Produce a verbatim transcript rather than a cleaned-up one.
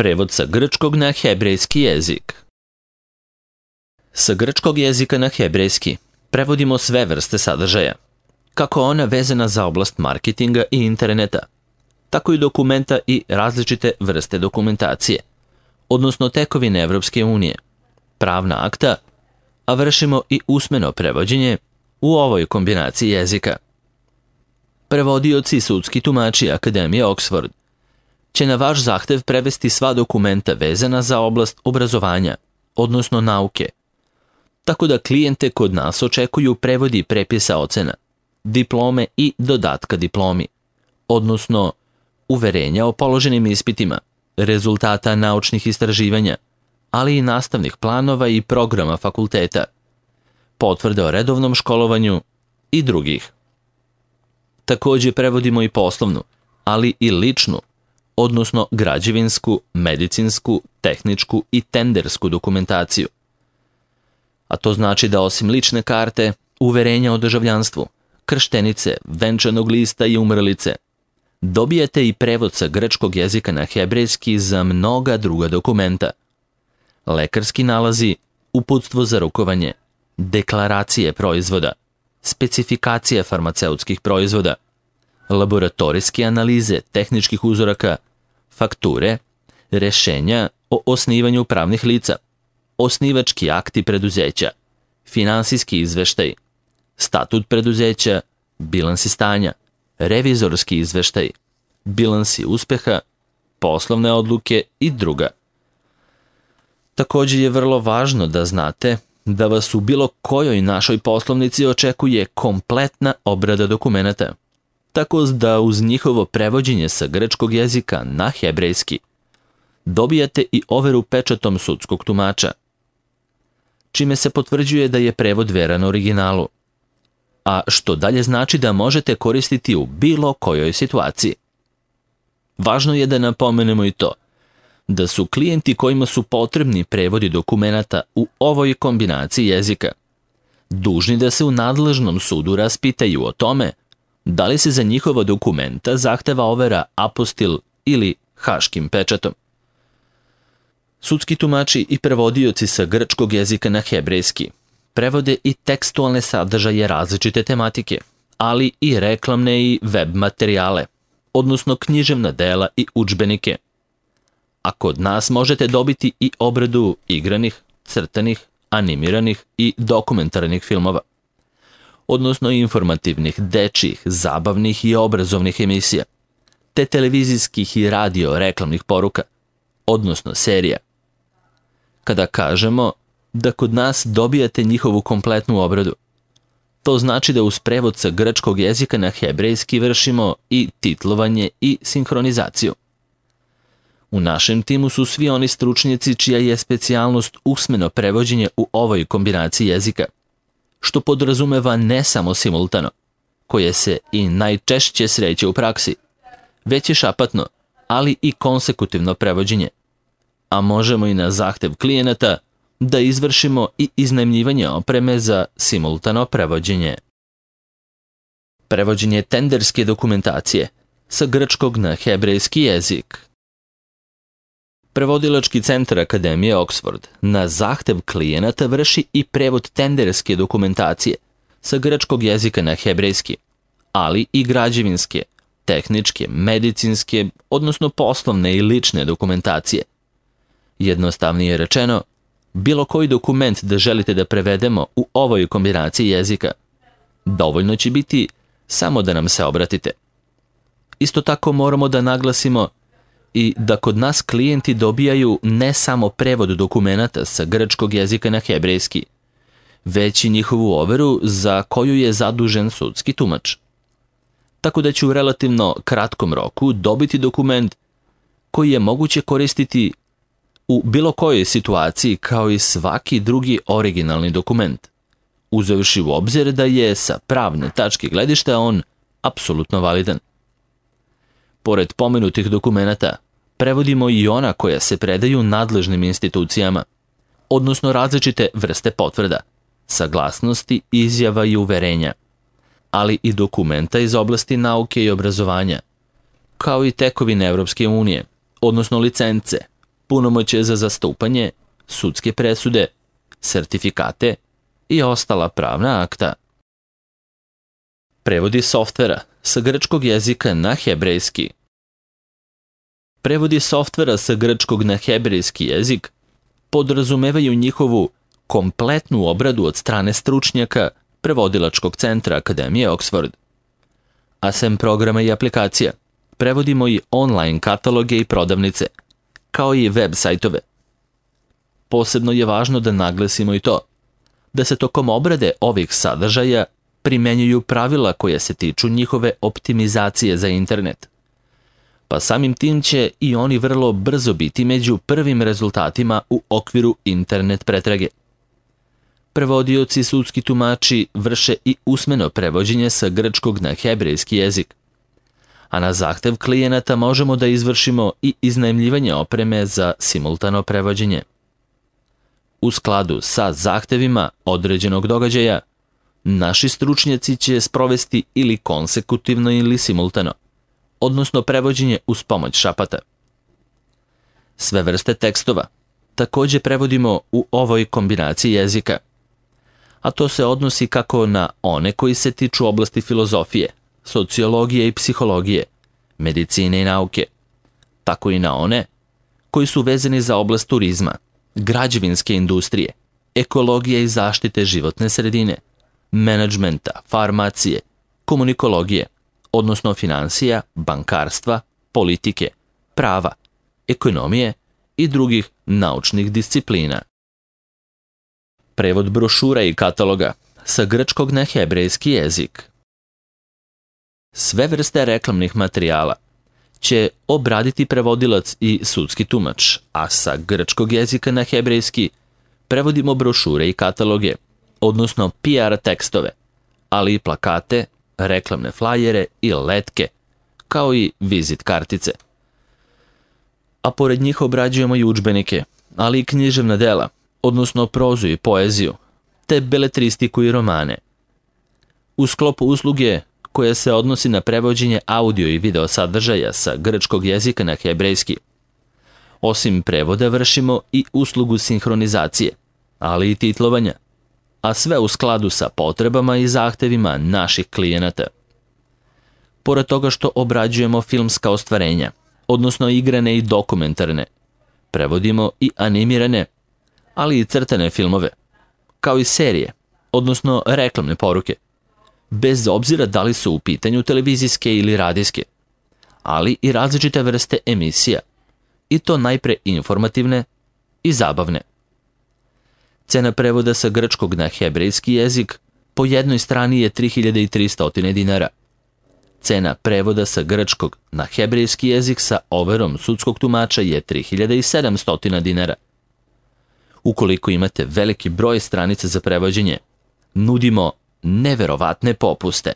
Prevod sa grčkog na hebrejski jezik. Sa grčkog jezika na hebrejski prevodimo sve vrste sadržaja, kako ona vezana za oblast marketinga i interneta, tako i dokumenta i različite vrste dokumentacije, odnosno tekovine Evropske unije, pravna akta, a vršimo i usmeno prevođenje u ovoj kombinaciji jezika. Prevodioci i sudski tumači Akademije Oxford će na vaš zahtev prevesti sva dokumenta vezana za oblast obrazovanja, odnosno nauke, tako da klijente kod nas očekuju prevodi prepisa ocena, diplome i dodatka diplomi, odnosno uverenja o položenim ispitima, rezultata naučnih istraživanja, ali i nastavnih planova i programa fakulteta, potvrde o redovnom školovanju i drugih. Također prevodimo i poslovnu, ali i ličnu, odnosno građevinsku, medicinsku, tehničku i tendersku dokumentaciju. A to znači da osim lične karte, uverenja o državljanstvu, krštenice, venčanog lista i umrlice, dobijate i prevod sa grčkog jezika na hebrejski za mnoga druga dokumenta. Lekarski nalazi, uputstvo za rukovanje, deklaracije proizvoda, specifikacije farmaceutskih proizvoda, laboratorijske analize tehničkih uzoraka, fakture, rešenja o osnivanju pravnih lica, osnivački akti preduzeća, finansijski izveštaj, statut preduzeća, bilansi stanja, revizorski izveštaj, bilansi uspeha, poslovne odluke i druga. Također je vrlo važno da znate da vas u bilo kojoj našoj poslovnici očekuje kompletna obrada dokumenata, tako da uz njihovo prevođenje sa grčkog jezika na hebrejski dobijate i overu pečatom sudskog tumača, čime se potvrđuje da je prevod veran originalu, a što dalje znači da možete koristiti u bilo kojoj situaciji. Važno je da napomenemo i to da su klijenti kojima su potrebni prevodi dokumenata u ovoj kombinaciji jezika dužni da se u nadležnom sudu raspitaju o tome da li se za njihova dokumenta zahteva overa apostil ili haškim pečatom. Sudski tumači i prevodioci sa grčkog jezika na hebrejski prevode i tekstualne sadržaje različite tematike, ali i reklamne i web materijale, odnosno književna dela i udžbenike. A kod nas možete dobiti i obradu igranih, crtanih, animiranih i dokumentarnih filmova, odnosno informativnih, dečjih, zabavnih i obrazovnih emisija, te televizijskih i radio reklamnih poruka, odnosno serija. Kada kažemo da kod nas dobijate njihovu kompletnu obradu, to znači da uz prevod sa grčkog jezika na hebrejski vršimo i titlovanje i sinhronizaciju. U našem timu su svi oni stručnjaci čija je specijalnost usmeno prevođenje u ovoj kombinaciji jezika, što podrazumeva ne samo simultano, koje se i najčešće sreće u praksi, već i šapatno, ali i konsekutivno prevođenje, a možemo i na zahtev klijenata da izvršimo i iznajmljivanje opreme za simultano prevođenje. Prevođenje tenderske dokumentacije sa grčkog na hebrejski jezik. Prevodilački centar Akademije Oxford na zahtev klijenata vrši i prevod tenderske dokumentacije sa grčkog jezika na hebrejski, ali i građevinske, tehničke, medicinske, odnosno poslovne i lične dokumentacije. Jednostavnije rečeno, bilo koji dokument da želite da prevedemo u ovoj kombinaciji jezika, dovoljno će biti samo da nam se obratite. Isto tako moramo da naglasimo i da kod nas klijenti dobijaju ne samo prevod dokumenata sa grčkog jezika na hebrejski, već i njihovu overu za koju je zadužen sudski tumač. Tako da će u relativno kratkom roku dobiti dokument koji je moguće koristiti u bilo kojoj situaciji kao i svaki drugi originalni dokument, uzevši u obzir da je sa pravne tačke gledišta on apsolutno validan. Pored pomenutih dokumenata, prevodimo i ona koja se predaju nadležnim institucijama, odnosno različite vrste potvrda, saglasnosti, izjava i uverenja, ali i dokumenta iz oblasti nauke i obrazovanja, kao i tekovine Evropske unije, odnosno licence, punomoćje za zastupanje, sudske presude, sertifikate i ostala pravna akta. Prevodi softvera sa grčkog jezika na hebrejski. Prevodi softvera sa grčkog na hebrejski jezik podrazumevaju njihovu kompletnu obradu od strane stručnjaka Prevodilačkog centra Akademije Oxford. A sem programa i aplikacija, prevodimo i online kataloge i prodavnice, kao i web sajtove. Posebno je važno da naglasimo i to, da se tokom obrade ovih sadržaja primenjuju pravila koja se tiču njihove optimizacije za internet. Pa samim tim će i oni vrlo brzo biti među prvim rezultatima u okviru internet pretrage. Prevodioci i sudski tumači vrše i usmeno prevođenje sa grčkog na hebrejski jezik, a na zahtev klijenata možemo da izvršimo i iznajmljivanje opreme za simultano prevođenje. U skladu sa zahtevima određenog događaja, naši stručnjaci će sprovesti ili konsekutivno ili simultano, odnosno prevođenje uz pomoć šapata. Sve vrste tekstova takođe prevodimo u ovoj kombinaciji jezika, a to se odnosi kako na one koji se tiču oblasti filozofije, sociologije i psihologije, medicine i nauke, tako i na one koji su vezani za oblast turizma, građevinske industrije, ekologije i zaštite životne sredine, menadžmenta, farmacije, komunikologije, odnosno finansija, bankarstva, politike, prava, ekonomije i drugih naučnih disciplina. Prevod brošura i kataloga sa grčkog na hebrejski jezik. Sve vrste reklamnih materijala će obraditi prevodilac i sudski tumač, a sa grčkog jezika na hebrejski prevodimo brošure i kataloge, odnosno P R tekstove, ali i plakate, reklamne flajere i letke, kao i vizit kartice. A pored njih obrađujemo i udžbenike, ali i književna dela, odnosno prozu i poeziju, te beletristiku i romane. U sklopu usluge koja se odnosi na prevođenje audio i video sadržaja sa grčkog jezika na hebrejski, osim prevoda vršimo i uslugu sinhronizacije, ali i titlovanja, a sve u skladu sa potrebama i zahtevima naših klijenata. Pored toga što obrađujemo filmska ostvarenja, odnosno igrane i dokumentarne, prevodimo i animirane, ali i crtane filmove, kao i serije, odnosno reklamne poruke, bez obzira da li su u pitanju televizijske ili radijske, ali i različite vrste emisija, i to najpre informativne i zabavne. Cena prevoda sa grčkog na hebrejski jezik po jednoj strani je tri hiljade tristo dinara. Cena prevoda sa grčkog na hebrejski jezik sa overom sudskog tumača je tri hiljade sedamsto dinara. Ukoliko imate veliki broj stranica za prevođenje, nudimo neverovatne popuste.